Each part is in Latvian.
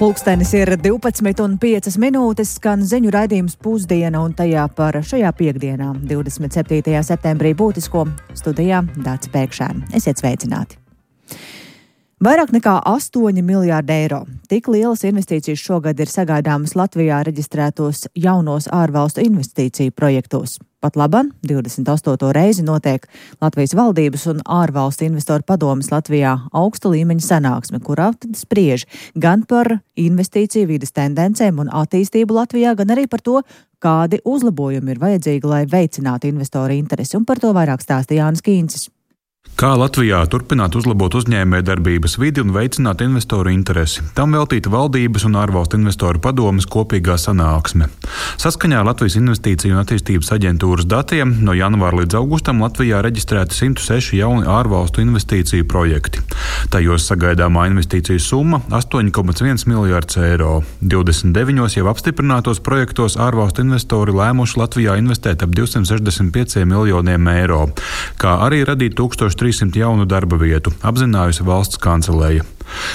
Pulkstenis ir 12:05, skan ziņu raidījums Pusdiena un tajā par šajā piekdienā, 27. septembrī būtisko studijā Dācis Pēkšēns. Esiet sveicināti! Vairāk nekā 8 miljārdi eiro. Tik lielas investīcijas šogad ir sagaidāmas Latvijā reģistrētos jaunos ārvalstu investīciju projektos. Pat laban 28. reizi notiek Latvijas valdības un ārvalstu investoru padomes Latvijā augsta līmeņa sanāksme, kurā tad spriež gan par investīciju vides tendencēm un attīstību Latvijā, gan arī par to, kādi uzlabojumi ir vajadzīgi, lai veicinātu investoru interesi. Un par to vairāk stāsta Jānis Kīncis. Kā Latvijā turpināt uzlabot uzņēmējdarbības vidi un veicināt investoru interesi? Tam veltīta valdības un ārvalstu investoru padomes kopīgā sanāksme. Saskaņā ar Latvijas Investīciju un attīstības aģentūras datiem no janvāra līdz augustam Latvijā reģistrēti 106 jauni ārvalstu investīciju projekti. Tajos sagaidāmā investīciju summa 8,1 miljārds eiro. 29 jau apstiprinātos projektos ārvalstu investori lēmuši Latvijā investēt ap 265 miljoniem eiro, kā arī radīt 1300 jaunu darba vietu, apzinājusi valsts kanceleja.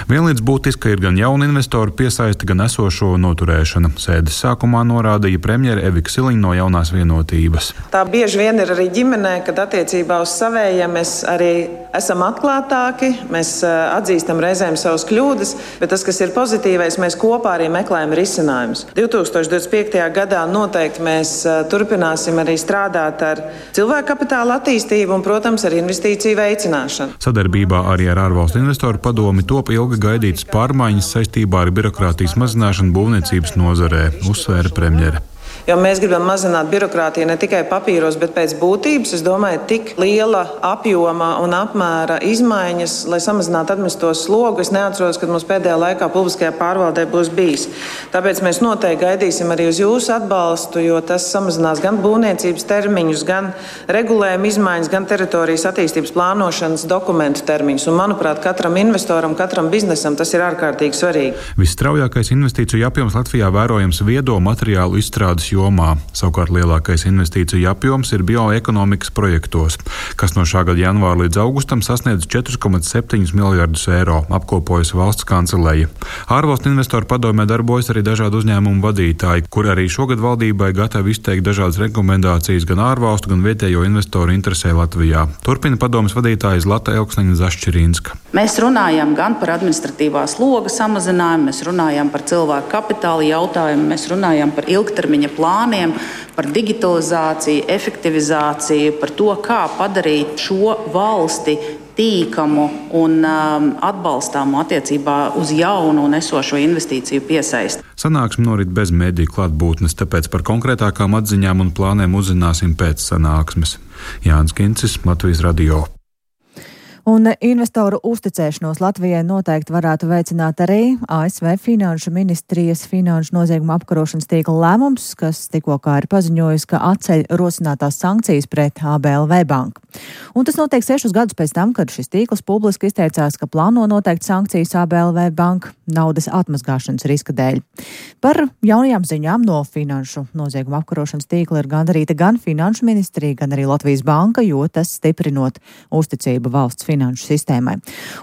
Vienlīdz būtiska ir gan jauna investoru piesaiste, gan esošo noturēšana. Sēdes sākumā norādīja premjere Evika Siliņa no Jaunās vienotības. Tā bieži vien ir arī ģimenē, kad attiecībā uz savējiem mēs arī esam atklātāki, mēs atzīstam reizēm savas kļūdas, bet tas, kas ir pozitīvais, mēs kopā arī meklējam risinājumus. 2025. gadā noteikti mēs turpināsim arī strādāt ar cilvēku kapitāla attīstību un, protams, ar investīciju veicināšanu. Sadarbībā arī ar ārvalstu investoru padomi top ilgi gaidītas pārmaiņas saistībā ar birokrātijas mazināšanu būvniecības nozarē, uzsvēra premjere. Jo mēs gribam mazināt birokrātiju ne tikai papīros, bet pēc būtības. Es domāju, tik liela apjoma un apmēra izmaiņas, lai samazinātu administratīvo slogu. Es neatceros, kad mums pēdējā laikā publiskajā pārvaldē būs bijis. Tāpēc mēs noteikti gaidīsim arī uz jūsu atbalstu, jo tas samazinās gan būvniecības termiņus, gan regulējuma izmaiņas, gan teritorijas attīstības plānošanas dokumentu termiņus. Un, manuprāt, katram investoram, katram biznesam tas ir ārkārtīgi svarīgi. Visstraujākais investīciju apjoms Latvijā vērojams viedo materiālu izstrādes jomā. Savukārt lielākais investīciju apjoms ir bioekonomikas projektos, kas no šā gada janvāra līdz augustam sasniedz 4,7 miljardus eiro, apkopojas valsts kanceleja. Ārvalstu investoru padomē darbojas arī dažādu uzņēmumu vadītāji, kur arī šogad valdībai gatavi izteikt dažādas rekomendācijas gan ārvalstu, gan vietējo investoru interesē Latvijā. Turpina padomes vadītāja Zlata Elksniņa-Zašķirīnska. Mēs runājam gan par administratīvā sloga samazinājumu, mēs runājam par cilvēku kapitāla jautājumu, mēs runājam par ilgtermiņa plāniem, par digitalizāciju, efektivizāciju, par to, kā padarīt šo valsti tīkamu un atbalstāmu attiecībā uz jaunu un esošo investīciju piesaisti. Sanāksme norit bez mediju klātbūtnes, tāpēc par konkrētākām atziņām un plāniem uzzināsim pēc sanāksmes. Jānis Kīncis, Latvijas radio. Un investoru uzticēšanos Latvijai noteikti varētu veicināt arī ASV Finanšu ministrijas finanšu nozieguma apkarošanas tīkla lēmums, kas tikko kā ir paziņojis, ka atceļ rosinātās sankcijas pret ABLV banku. Un tas notiek 6 gadus pēc tam, kad šis tīkls publiski izteicās, ka plāno noteikt sankcijas ABLV banku naudas atmazgāšanas riska dēļ. Par jaunajām ziņām no finanšu nozieguma apkarošanas tīkla ir gandarīta gan Finanšu ministrija, gan arī Latvijas banka, jo tas stiprinot uzticību valsts finanšu sistēmai.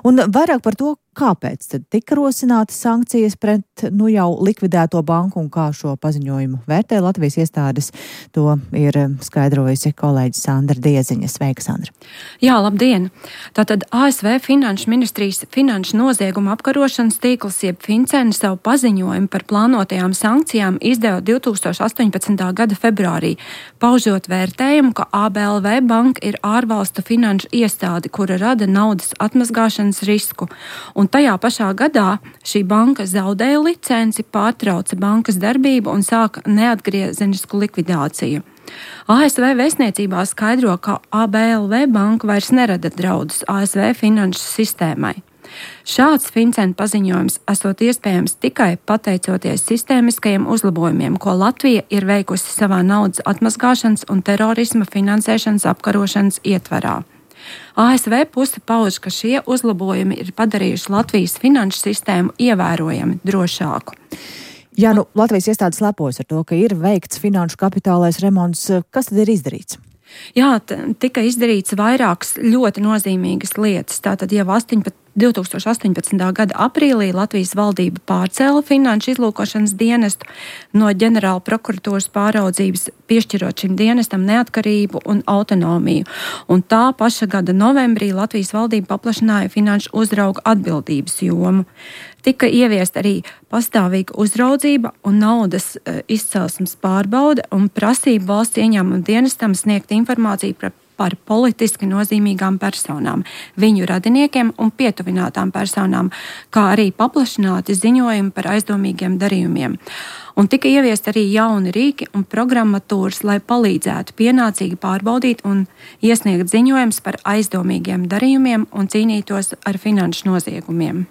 Un vairāk par to, kāpēc tad tika rosinātas sankcijas pret jau likvidēto banku un kā šo paziņojumu vērtē Latvijas iestādes, to ir skaidrojusi kolēģis Sandra Dieziņa. Sveika, Sandra! Jā, labdien! Tātad ASV Finanšu ministrijas finanšu nozieguma apkarošanas tīkls jeb FinCEN savu paziņojumu par plānotajām sankcijām izdeva 2018. gada februārī, paužot vērtējumu, ka ABLV banka ir ārvalstu finanšu iestāde, kura rada naudas atmazgāšanas risku. Un tajā pašā gadā šī banka zaudēja licenci, pārtrauca bankas darbību un sāka neatgriezenisku likvidāciju. ASV vēstniecībā skaidro, ka ABLV banka vairs nerada draudus ASV finanšu sistēmai. Šāds FinCEN paziņojums esot iespējams tikai pateicoties sistēmiskajiem uzlabojumiem, ko Latvija ir veikusi savā naudas atmazgāšanas un terorisma finansēšanas apkarošanas ietvarā. ASV puse pauž, ka šie uzlabojumi ir padarījuši Latvijas finanšu sistēmu ievērojami drošāku. Jā, Latvijas iestādes lepojas ar to, ka ir veikts finanšu kapitālais remonts. Kas tad ir izdarīts? Jā, tika izdarīts vairākas ļoti nozīmīgas lietas. Tātad jau 18. 2018. gada aprīlī Latvijas valdība pārcēla finanšu izlūkošanas dienestu no ģenerāla prokuratūras pāraudzības, piešķirot šim dienestam neatkarību un autonomiju. Un tā paša gada novembrī Latvijas valdība paplašināja finanšu uzrauga atbildības jomu. Tika ieviest arī pastāvīga uzraudzība un naudas izcelsmes pārbaude un prasība valsts ieņēmuma dienestam sniegt informāciju par politiski nozīmīgām personām, viņu radiniekiem un pietuvinātām personām, kā arī paplašināti ziņojumi par aizdomīgiem darījumiem. Un tika ieviest arī jauni rīki un programmatūras, lai palīdzētu pienācīgi pārbaudīt un iesniegt ziņojumus par aizdomīgiem darījumiem un cīnītos ar finanšu noziegumiem.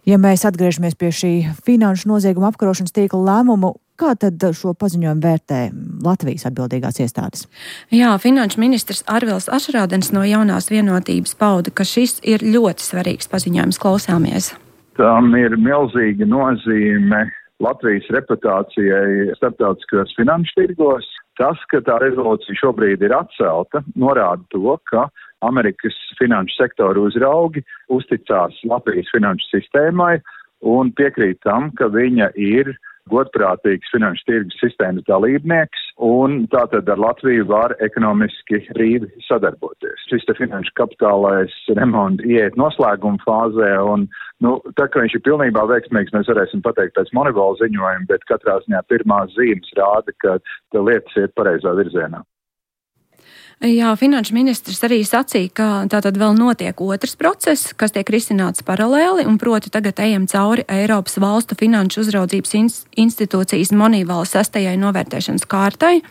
Ja mēs atgriežamies pie šī finanšu nozieguma apkarošanas tīkla lēmumu, kā tad šo paziņojumu vērtē Latvijas atbildīgās iestādes? Jā, finanšu ministrs Arvils Ašrādens no Jaunās vienotības pauda, ka šis ir ļoti svarīgs paziņojums. Klausāmies. Tam ir milzīga nozīme Latvijas reputācijai starptautiskajos finanšu tirgos. Tas, ka tā rezolūcija šobrīd ir atcelta, norāda to, ka Amerikas finanšu sektoru uzraugi uzticās Latvijas finanšu sistēmai un piekrīt tam, ka viņa ir godprātīgs finanšu tirgus sistēmas dalībnieks un tātad ar Latviju var ekonomiski brīvi sadarboties. Šis te finanšu kapitālais remonts ieiet noslēguma fāzē un, tā kā viņš ir pilnībā veiksmīgs, mēs varēsim pateikt pēc Monevola ziņojuma, bet katrā ziņā pirmās zīmes rāda, ka lietas iet pareizā virzienā. Jā, finanšu ministrs arī sacīja, ka tātad vēl notiek otrs process, kas tiek risināts paralēli, un proti tagad ejam cauri Eiropas valstu finanšu uzraudzības institūcijas Moneyval 6. novērtēšanas kārtai.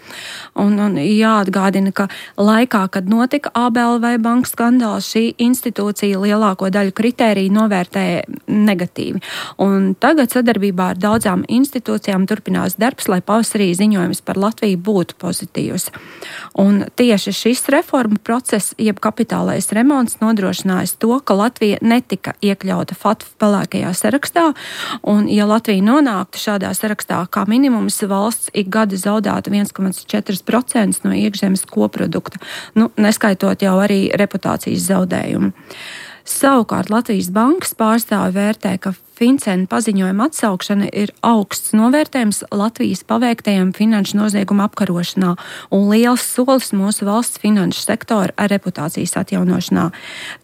Un jāatgādina, ka laikā, kad notika ABLV banku skandāls, šī institūcija lielāko daļu kritēriju novērtēja negatīvi. Un tagad sadarbībā ar daudzām institūcijām turpinās darbs, lai pavasarī ziņojums par Latviju būtu pozitīvs. Un tieši šis reformu process, jeb kapitālais remonts, nodrošinājis to, ka Latvija netika iekļauta FATF pelēkajā sarakstā, un ja Latvija nonāktu šādā sarakstā, kā minimums valsts ik gada zaudētu 1,4% no iekšzemes koprodukta, neskaitot jau arī reputācijas zaudējumu. Savukārt Latvijas bankas pārstāvi vērtē, ka Fincena paziņojuma atsaukšana ir augsts novērtējums Latvijas paveiktajam finanšu noziegumu apkarošanā un liels solis mūsu valsts finanšu sektora reputācijas atjaunošanā.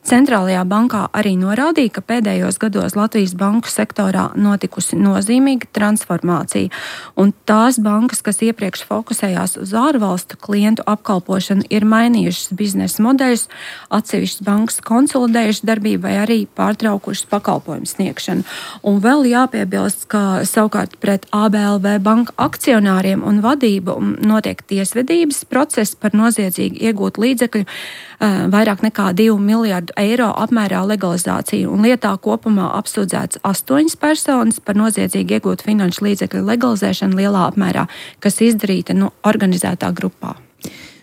Centrālajā bankā arī norādīja, ka pēdējos gados Latvijas banku sektorā notikusi nozīmīga transformācija, un tās bankas, kas iepriekš fokusējās uz ārvalstu klientu apkalpošanu, ir mainījušas biznesa modeļus, atsevišķas bankas konsolidējušas darbību vai arī pārtraukušas pakalpojumu sniegšanu. Un vēl jāpiebilst, ka savukārt pret ABLV banka akcionāriem un vadību notiek tiesvedības process par noziedzīgi iegūt līdzekļu vairāk nekā 2 miljardu eiro apmērā legalizāciju, un lietā kopumā apsūdzēts 8 personas par noziedzīgi iegūt finanšu līdzekļu legalizēšanu lielā apmērā, kas izdarīta organizētā grupā.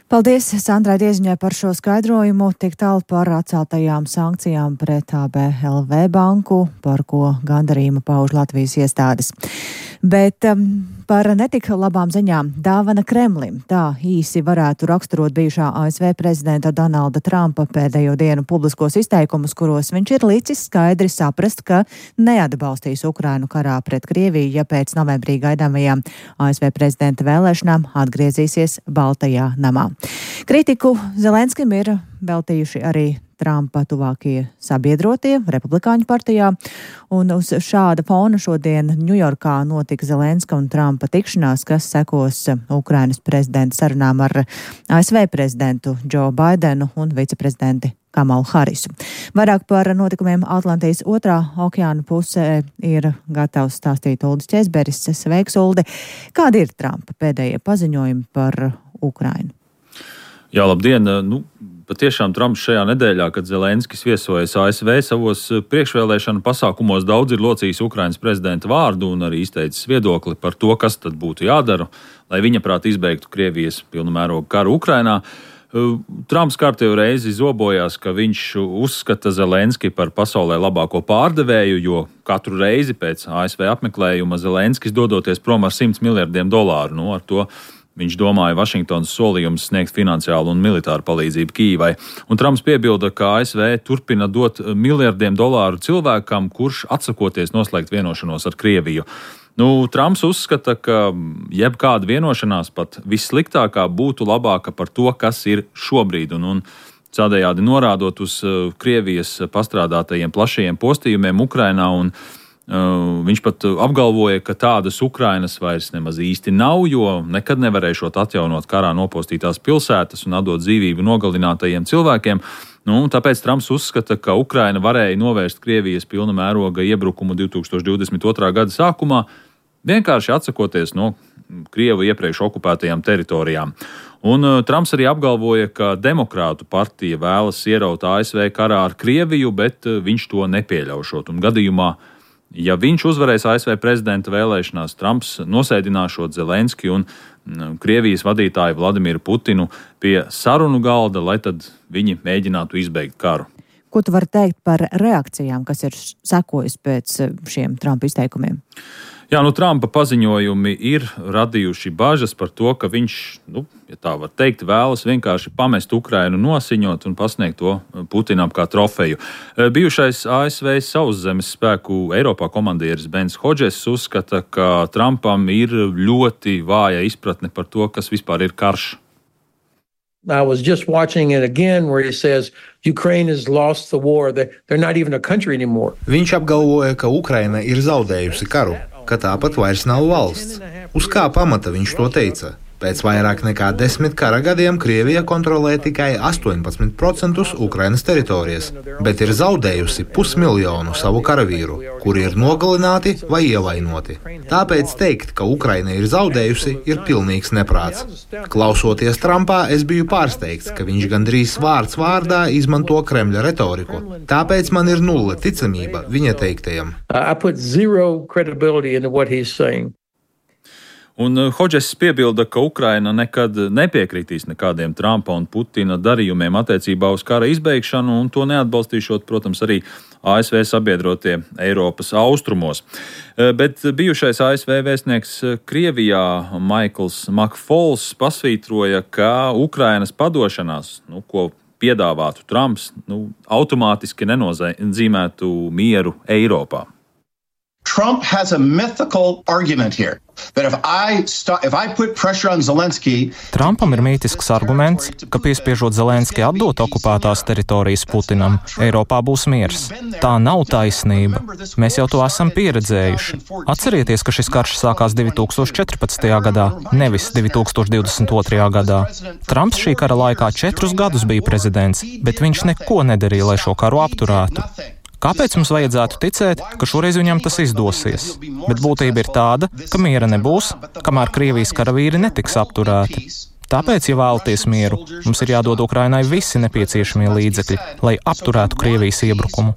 Paldies Sandrai Dieziņai par šo skaidrojumu, tik tālu par atceltajām sankcijām pret ABLV banku, par ko gandarījumu pauž Latvijas iestādes. Bet par netik labām ziņām dāvana Kremlim. Tā īsi varētu raksturot bijušā ASV prezidenta Donalda Trumpa pēdējo dienu publiskos izteikumus, kuros viņš ir licis skaidri saprast, ka neatbalstīs Ukrainu karā pret Krieviju, ja pēc novembrī gaidāmajām ASV prezidenta vēlēšanām atgriezīsies Baltajā namā. Kritiku Zelenskim ir veltījuši arī Trumpa tuvākie sabiedrotie Republikāņu partijā, un uz šāda fona šodien Ņujorkā notika Zelenska un Trumpa tikšanās, kas sekos Ukrainas prezidenta sarunām ar ASV prezidentu Džo Baidenu un viceprezidenti Kamalu Harisu. Vairāk par notikumiem Atlantijas otrā okeāna pusē ir gatavs stāstīt Uldis Ķezberis. Sveiks, Uldi! Kādi ir Trumpa pēdējie paziņojumi par Ukrainu? Jā, labdien! Patiešām Trumps šajā nedēļā, kad Zelenskis viesojas ASV, savos priekšvēlēšanu pasākumos daudz ir locījis Ukrainas prezidenta vārdu un arī izteicis viedokli par to, kas tad būtu jādara, lai viņa prāt izbeigtu Krievijas pilnamēroga karu Ukrainā. Trumps kārtējo reizi zobojās, ka viņš uzskata Zelenski par pasaulē labāko pārdevēju, jo katru reizi pēc ASV apmeklējuma Zelenskis dodoties prom ar $100 miljardiem. Ar to viņš domāja Vašingtonas solījumus sniegt finansiālu un militāru palīdzību Kijivai. Un Trumps piebilda, ka ASV turpina dot miljardiem dolāru cilvēkam, kurš atsakoties noslēgt vienošanos ar Krieviju. Trumps uzskata, ka jebkāda vienošanās, pat vissliktākā, būtu labāka par to, kas ir šobrīd. Un tādējādi norādot uz Krievijas pastrādātajiem plašajiem postījumiem Ukrainā, un viņš pat apgalvoja, ka tādas Ukrainas vairs nemaz īsti nav, jo nekad nevarēšot atjaunot karā nopostītās pilsētas un atdot dzīvību nogalinātajiem cilvēkiem. Tāpēc Trumps uzskata, ka Ukraina varēja novērst Krievijas pilna mēroga iebrukumu 2022. Gada sākumā, vienkārši atsakoties no Krievu iepriekš okupētajām teritorijām. Un Trumps arī apgalvoja, ka Demokrātu partija vēlas ieraut ASV karā ar Krieviju, bet viņš to nepieļaušot. Un gadījumā, ja viņš uzvarēs ASV prezidenta vēlēšanās, Trumps nosēdināšot Zelenski un Krievijas vadītāju Vladimiru Putinu pie sarunu galda, lai tad viņi mēģinātu izbeigt karu. Ko tu vari teikt par reakcijām, kas ir sekojis pēc šiem Trumpa izteikumiem? Jā, Trumpa paziņojumi ir radījuši bažas par to, ka viņš, ja tā var teikt, vēlas vienkārši pamest Ukrainu nosiņot un pasniegt to Putinam kā trofeju. Bijušais ASV sauszemes spēku Eiropā komandieris Bens Hodžess uzskata, ka Trumpam ir ļoti vāja izpratne par to, kas vispār ir karš. I was just watching it again where he says Ukraine has lost the war. They're not even a country anymore. Viņš apgalvoja, ka Ukraina ir zaudējusi karu, ka tāpat vairs nav valsts. Uz kā pamata viņš to teica? Pēc vairāk nekā 10 kara gadiem Krievija kontrolē tikai 18% Ukrainas teritorijas, bet ir zaudējusi 500 000 savu karavīru, kuri ir nogalināti vai ievainoti. Tāpēc teikt, ka Ukraina ir zaudējusi, ir pilnīgs neprāts. Klausoties Trumpā, es biju pārsteigts, ka viņš gandrīz vārds vārdā izmanto Kremļa retoriku. Tāpēc man ir nulle ticamība viņa teiktajam. I put zero credibility into what he's saying. Un Hodžess piebilda, ka Ukraina nekad nepiekritīs nekādiem Trumpa un Putina darījumiem attiecībā uz kara izbeigšanu, un to neatbalstīšot, protams, arī ASV sabiedrotie Eiropas austrumos. Bet bijušais ASV vēstnieks Krievijā Maikls Makfols pasvītroja, ka Ukrainas padošanās, ko piedāvātu Trumps, automātiski nenozīmētu mieru Eiropā. Trump has a mythical argument here that if I put pressure on Zelensky. Trumpam ir mītisks arguments, ka piespiežot Zelenski atdot okupētās teritorijas Putinam, Eiropā būs miers. Tā nav taisnība. Mēs jau to esam pieredzējuši. Atcerieties, ka šis karš sākās 2014. gadā, nevis 2022. gadā. Trumps šī kara laikā 4 gadus bija prezidents, bet viņš neko nedarīja, lai šo karu apturētu. Kāpēc mums vajadzētu ticēt, ka šoreiz viņam tas izdosies? Bet būtība ir tāda, ka miera nebūs, kamēr Krievijas karavīri netiks apturēti. Tāpēc, ja vēlaties mieru, mums ir jādod Ukrainai visi nepieciešamie līdzekļi, lai apturētu Krievijas iebrukumu.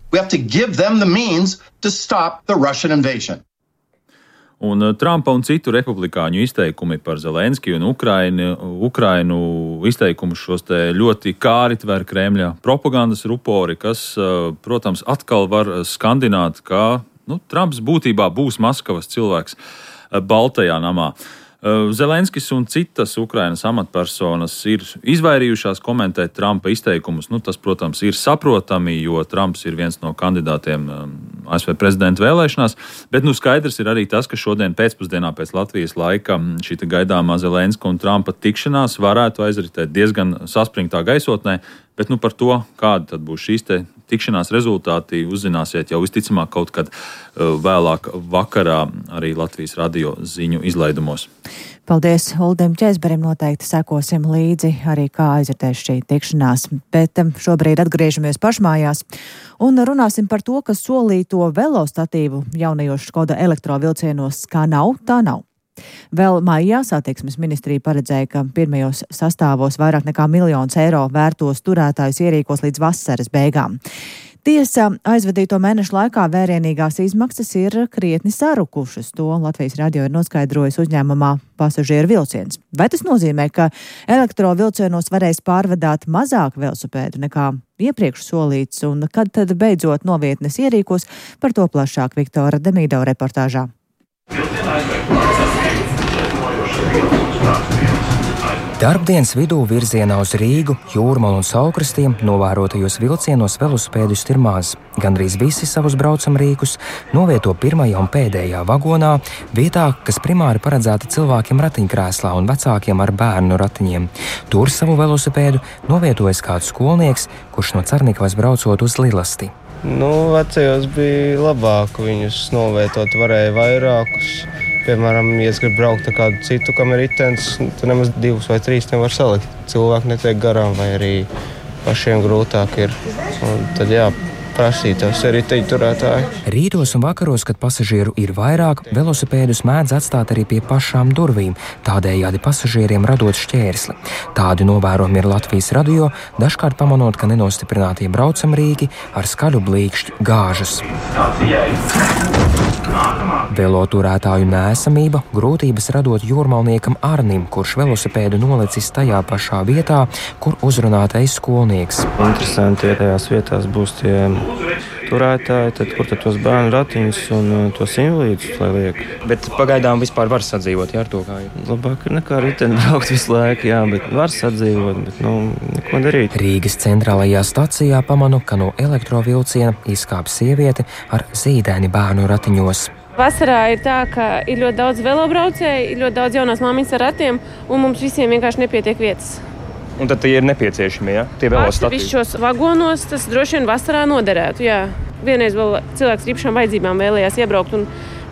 Un Trumpa un citu republikāņu izteikumi par Zelenski un Ukrainu izteikumus šos te ļoti kāri tver Kremļa propagandas rupori, kas, protams, atkal var skandināt, ka Trumps būtībā būs Maskavas cilvēks Baltajā namā. Zelenskis un citas Ukrainas amatpersonas ir izvairījušās komentēt Trumpa izteikumus. Tas, protams, ir saprotami, jo Trumps ir viens no kandidātiem ASV prezidenta vēlēšanās, bet skaidrs ir arī tas, ka šodien pēcpusdienā pēc Latvijas laika šī gaidāmā Zelenska un Trumpa tikšanās varētu aizritēt diezgan saspringtā gaisotnē, bet par to, kāda tad būs šīs tikšanās rezultāti, uzzināsiet jau visticamāk kaut kad vēlāk vakarā arī Latvijas radio ziņu izlaidumos. Paldies Uldim Čēzberim, noteikti sekosim līdzi arī kā aizritēs šī tikšanās, bet šobrīd atgriežamies pašmājās un runāsim par to, ka solīto velostatīvu jaunajos Škoda elektrovilcienos kā nav, tā nav. Vēl maijā satiksmes ministrija paredzēja, ka pirmajos sastāvos vairāk nekā 1 000 000 eiro vērtos turētājus ierīkos līdz vasaras beigām. Tiesa, aizvadīto mēnešu laikā vērienīgās izmaksas ir krietni sarukušas. To Latvijas radio ir noskaidrojis uzņēmumā Pasažieru vilciens. Vai tas nozīmē, ka elektrovilcienos varēs pārvadāt mazāk velosipēdu nekā iepriekš solīts, un kad tad beidzot novietnes ierīkos? Par to plašāk Viktora Demīdova reportāžā. Darbdienas vidū virzienā uz Rīgu, Jūrmalu un Saulkrastiem novērotajos vilcienos velosipēdistu ir maz. Gandrīz visi savus braucamrīkus novieto pirmajā un pēdējā vagonā, vietā, kas primāri paredzēta cilvēkiem ratiņkrēslā un vecākiem ar bērnu ratiņiem. Tur savu velosipēdu novietojas kāds skolnieks, kurš no Cernikavas braucot uz Lilasti. Vecajos bija labāk viņus novietot, varēja vairākus. Piemēram, ja es gribu braukt ar kādu citu, kam ir ritenis, tad nemaz 2 vai 3 nevar salikt. Cilvēki netiek garām, vai arī pašiem grūtāk ir. Un tad prasītos arī riteņu turētāji. Rītos un vakaros, kad pasažieru ir vairāk, velosipēdus mēdz atstāt arī pie pašām durvīm, tādējādi pasažieriem radot šķērsli. Tādi novērojumi ir Latvijas radio, dažkārt pamanot, ka nenostiprinātie braucamrīki ar skaļu blīkšķi gāžas. Veloturētāju nēsamība, grūtības radot jūrmalniekam Arnim, kurš velosipēdu nolicis tajā pašā vietā, kur uzrunātais skolnieks. Interesanti, ja tajās vietās būs tie turētāji, tad kur tad tos bērnu ratiņus un tos invalīdus lai liek? Bet pagaidām vispār var sadzīvot, ar to kā ir? Labāk ir nekā riteni braukt visu laiku, bet var sadzīvot, bet neko darīt. Rīgas centrālajā stacijā pamanu, ka no elektrovilciena izkāp sieviete ar zīdaini bērnu ratiņos. Vasarā ir tā, ka ir ļoti daudz velobraucēju, ir ļoti daudz jaunās māmiņas ar ratiem, un mums visiem vienkārši nepietiek vietas. Un tad tie ir nepieciešami, tie velosipēdi? Atsevišķos vagonos tas droši vien vasarā noderētu, Vienreiz vēl cilvēks ar īpašām vajadzībām vēlējās iebraukt, un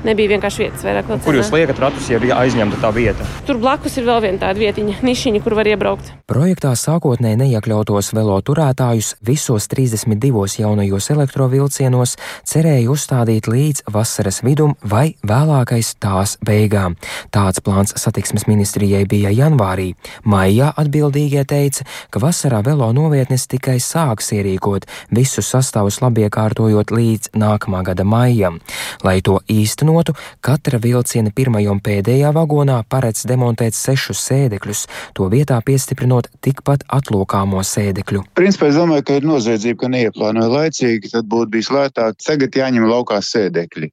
nebija vienkārši vietas vairāk. Kur jūs liekat ratus, ja bija aizņemta tā vieta? Tur blakus ir vēl viena tāda vietiņa, nišiņa, kur var iebraukt. Projektā sākotnēji neiekļautos veloturētājus visos 32 jaunajos elektrovilcienos cerēja uzstādīt līdz vasaras vidum vai vēlākais tās beigām. Tāds plāns satiksmes ministrijai bija janvārī. Maijā atbildīgie teica, ka vasarā velo novietnes tikai sāks ierīkot, visus sastāvus labiekārtojot līdz nākamā gada maijam. Lai to īstenotu, katra vilciena pirmajā un pēdējā vagonā paredz demontēt 6 sēdekļus, to vietā piestiprinot tikpat atlokāmo sēdekļu. Principā es domāju, ka ir noziedzība, ka neieplānoja laicīgi, tad būtu bijis lētāk. Tagad jāņem laukā sēdekļi.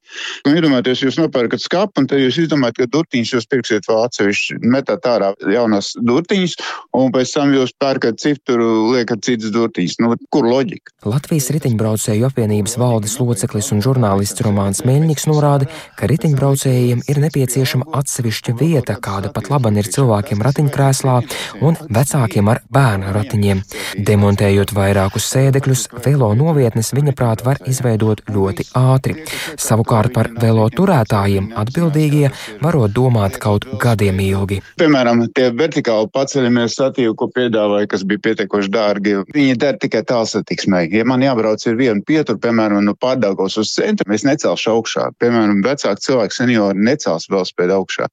Iedomājieties, jūs nopērkat skapu, un tad jūs izdomājat, ka durtiņus jūs pirksiet vēl atsevišķi, metāt ārā jaunās durtiņus, un pēc tam jūs pērkat cifru, liekat citas durtiņus. Kur loģika? Latvijas riteņbraucēju apvienības valdes loceklis un žurnālists Romāns Meļņiks norāda, ka riteņbraucējiem ir nepieciešama atsevišķa vieta, kāda pat laban ir cilvēkiem ratiņkrēslā un vecākiem ar bērnu ratiņiem. Demontējot vairākus sēdekļus, velo novietnes viņa prāt var izveidot ļoti ātri. Savukārt par velo turētājiem atbildīgie varot domāt kaut gadiem ilgi. Piemēram, tie vertikāli paceļamie statīvi, ko piedāvāja, kas bija pietiekoši dārgi, viņi der tikai tālsatiksmei. Ja man jābrauc ir vienu pieturu, piemēram, no Pārdaugavas uz centru, es necelšu augšā. Piemēram, vecāki cilvēki seniori necels velospēdu augšā.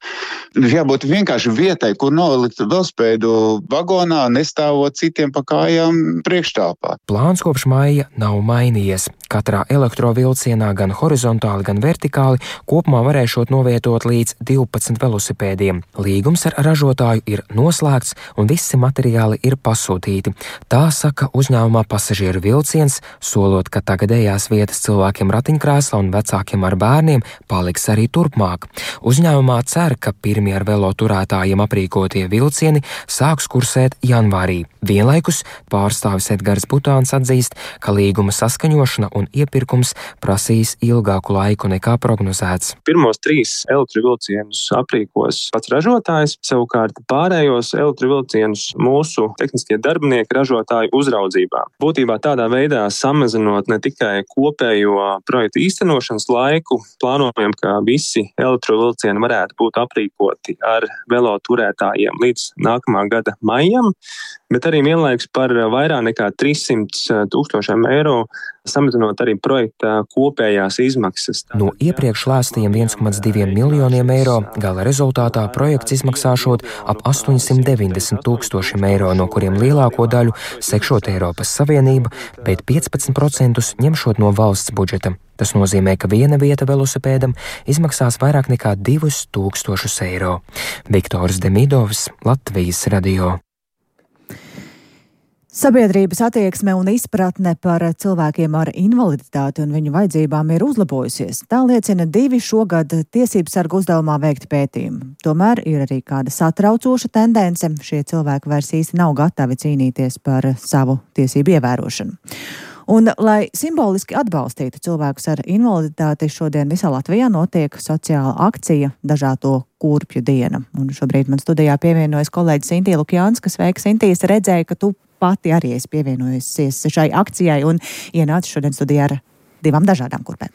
Jābūt vienkārši vietai, kur nolikt velospēdu vagonā, nestāvot citiem pa kājām priekštāpā. Plāns kopš maija nav mainījies. Katrā elektrovilcienā gan horizontāli, gan vertikāli kopumā varēšot novietot līdz 12 velosipēdiem. Līgums ar ražotāju ir noslēgts un visi materiāli ir pasūtīti. Tā saka uzņēmumā Pasažieru vilciens, solot, ka tagadējās vietas cilvēkiem ratiņkrēslā un vecākiem ar bērniem paliks arī turpmāk. Uzņēmumā cer, ka pirmie ar veloturētājiem aprīkotie vilcieni sāks kursēt janvārī. Vienlaikus pārstāvis Edgars Butāns atzīst, ka līguma saskaņošana un iepirkums prasīs ilgāku laiku nekā prognozēts. Pirmos 3 elektrovilcienus aprīkos pats ražotājs, savukārt pārējos elektrovilcienus mūsu tehniskie darbinieki ražotāju uzraudzībā. Būtībā tādā veidā samazinot ne tikai kopējo projektu īstenošanas laiku, plānojam, ka visi elektrovilcieni varētu būt aprīkoti ar veloturētājiem līdz nākamā gada maijam, bet arī vienlaikus par vairāk nekā 300 000 eiro samazinot arī projekta kopējās izmaksas. No iepriekš lēstiem 1,2 miljoniem eiro gala rezultātā projekts izmaksāšot ap 890 000 eiro, no kuriem lielāko daļu sekšot Eiropas Savienība, bet 15% ņemšot no valsts budžeta. Tas nozīmē, ka viena vieta velosipēdam izmaksās vairāk nekā 2000 eiro. Viktors Demidovs, Latvijas radio. Sabiedrības attieksme un izpratne par cilvēkiem ar invaliditāti un viņu vajadzībām ir uzlabojusies. Tā liecina 2 šogad tiesību sargu uzdevumā veikti pētījumi. Tomēr ir arī kāda satraucoša tendence. Šie cilvēki vairs īsti nav gatavi cīnīties par savu tiesību ievērošanu. Un, lai simboliski atbalstītu cilvēkus ar invaliditāti, šodien visā Latvijā notiek sociāla akcija Dažāto kurpju diena. Un šobrīd man studijā pievienojas kolēģis Intija Lukjāns, kas sveika Intijas, redzēja, ka tu pati arī esi pievienojusies šai akcijai un ienāci šodien studijā ar 2 dažādām kurpēm.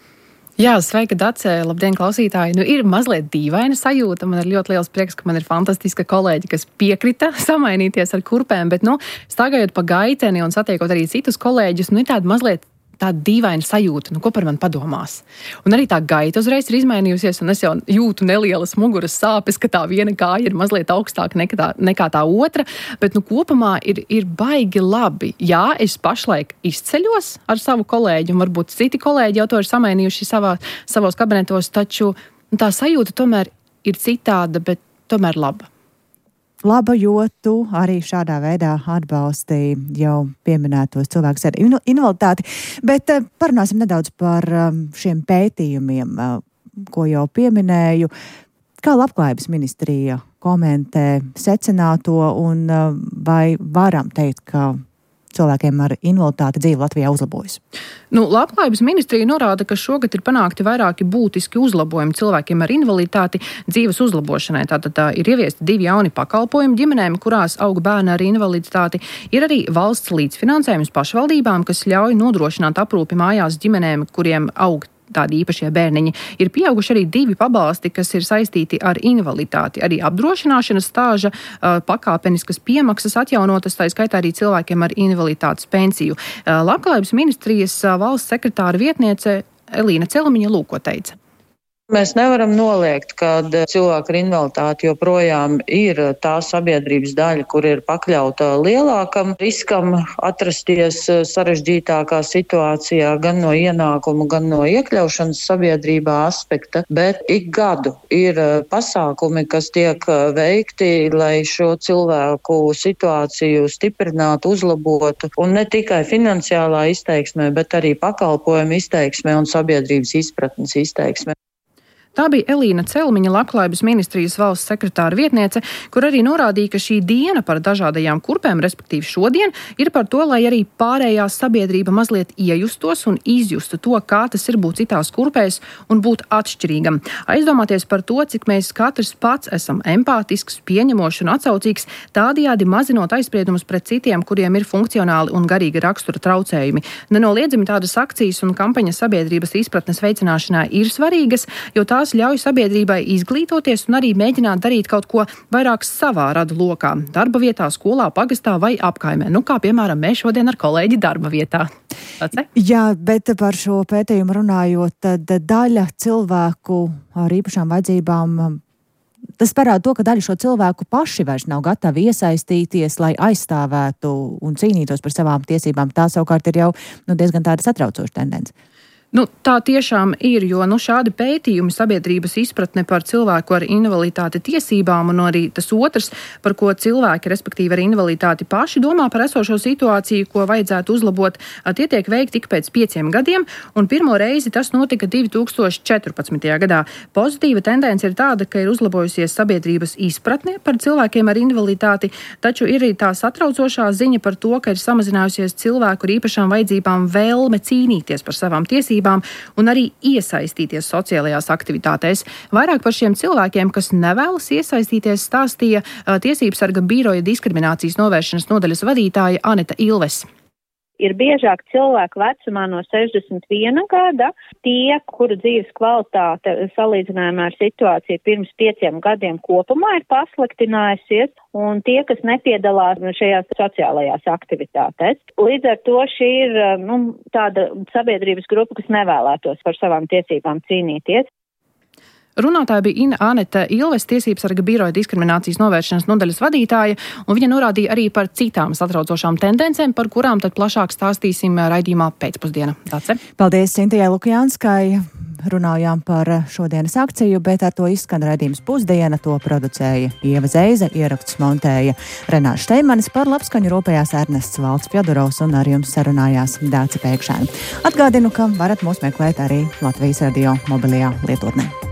Jā, sveika, Dace, labdien, klausītāji. Ir mazliet dīvaina sajūta. Man ir ļoti liels prieks, ka man ir fantastiska kolēģi, kas piekrita samainīties ar kurpēm, bet, staigājot pa gaiteni un satiekot arī citus kolēģus, ir tāda mazliet tāda dīvaina sajūta, ko par mani padomās. Un arī tā gaita uzreiz ir izmainījusies, un es jau jūtu nelielas muguras sāpes, ka tā viena kāja ir mazliet augstāka nekā tā otra, bet kopumā ir baigi labi. Jā, es pašlaik izceļos ar savu kolēģi, un varbūt citi kolēģi jau to ir samainījuši savos kabinetos, taču tā sajūta tomēr ir citāda, bet tomēr laba. Laba, jo tu arī šādā veidā atbalstīji jau pieminētos cilvēkus ar invaliditāti. Bet parunāsim nedaudz par šiem pētījumiem, ko jau pieminēju. Kā Labklājības ministrija komentē secināto un vai varam teikt, ka cilvēkiem ar invaliditāti dzīve Latvijā uzlabojas? Labklājības ministrija norāda, ka šogad ir panākti vairāki būtiski uzlabojumi cilvēkiem ar invaliditāti dzīves uzlabošanai. Tātad ir ieviesti 2 jauni pakalpojumi ģimenēm, kurās aug bērni ar invaliditāti. Ir arī valsts līdzfinansējums pašvaldībām, kas ļauj nodrošināt aprūpi mājās ģimenēm, kuriem aug tādi īpašie bērniņi. Ir pieauguši arī 2 pabalsti, kas ir saistīti ar invaliditāti. Arī apdrošināšanas stāža pakāpeniskas piemaksas atjaunotas, tā skaitā arī cilvēkiem ar invaliditātes pensiju. Labklājības ministrijas valsts sekretāra vietniece Elīna Celmiņa lūko teica. Mēs nevaram noliegt, ka cilvēki ar invaliditāti joprojām ir tā sabiedrības daļa, kur ir pakļauta lielākam riskam atrasties sarežģītākā situācijā gan no ienākumu, gan no iekļaušanas sabiedrībā aspekta, bet ik gadu ir pasākumi, kas tiek veikti, lai šo cilvēku situāciju stiprinātu, uzlabotu, un ne tikai finansiālā izteiksmē, bet arī pakalpojumu izteiksmē un sabiedrības izpratnes izteiksmē. Tā bija Elīna Celmiņa, Labklājības ministrijas valsts sekretāra vietniece, kur arī norādīja, ka šī diena par dažādajām kurpēm, respektīvi šodien, ir par to, lai arī pārējā sabiedrība mazliet iejustos un izjustu to, kā tas ir būt citās kurpēs un būt atšķirīgam. Aizdomāties par to, cik mēs katrs pats esam empātisks, pieņemošs un atsaucīgs, tādējādi mazinot aizspriedumus pret citiem, kuriem ir funkcionāli un garīga rakstura traucējumi. Nenoliedzami tādas akcijas un kampaņas sabiedrības izpratnes veicināšanā ir svarīgas, jo tās ļauj sabiedrībai izglītoties un arī mēģināt darīt kaut ko vairāk savā radu lokā, darba vietā, skolā, pagastā vai apkaimē. Kā piemēram mēs šodien ar kolēģi darba vietā. Jā, bet par šo pētījumu runājot, tad daļa cilvēku ar īpašām vajadzībām, tas parāda to, ka daļa šo cilvēku paši vairs nav gatavi iesaistīties, lai aizstāvētu un cīnītos par savām tiesībām. Tā savukārt ir jau diezgan tāda satraucoša tendence. Tā tiešām ir, jo šādi pētījumi sabiedrības izpratne par cilvēku ar invaliditāti tiesībām un arī tas otrs, par ko cilvēki, respektīvi ar invaliditāti paši domā par esošo situāciju, ko vajadzētu uzlabot, tie tiek veikti tik pēc 5 gadiem, un pirmo reizi tas notika 2014. gadā. Pozitīva tendence ir tāda, ka ir uzlabojusies sabiedrības izpratne par cilvēkiem ar invaliditāti, taču ir arī tā satraucošā ziņa par to, ka ir samazinājusies cilvēku ar īpašām vajadzībām vēlme cīnīties par savām tiesībām un arī iesaistīties sociālajās aktivitātēs. Vairāk par šiem cilvēkiem, kas nevēlas iesaistīties, stāstīja Tiesību sarga biroja diskriminācijas novēršanas nodaļas vadītāja Anita Ilves. Ir biežāk cilvēku vecumā no 61 gada, tie, kuru dzīves kvalitāte salīdzinājumā ar situāciju pirms 5 gadiem kopumā ir pasliktinājusies, un tie, kas nepiedalās šajās sociālajās aktivitātēs. Līdz ar to šī ir tāda sabiedrības grupa, kas nevēlētos par savām tiesībām cīnīties. Runātāja bija Aneta Ilves, tiesības sarga biroja diskriminācijas novēršanas nodaļas vadītāja, un viņa norādīja arī par citām satraucošām tendencēm, par kurām tad plašāk stāstīsim raidījumā pēcpusdiena. Dace. Paldies Sintijai Lukjānskai. Runājām par šodienas akciju, bet ar to izskan raidījums Pusdiena. To producēja Ieva Zeize, ierakstus montēja Renārs Šteimanis, par labskaņu rūpējās Ernests Valds Fjodorovs un ar jums sarunājās Dāce Pēkšēna. Atgādinu, ka varat mūs meklēt arī Latvijas radio mobilajā lietotnē.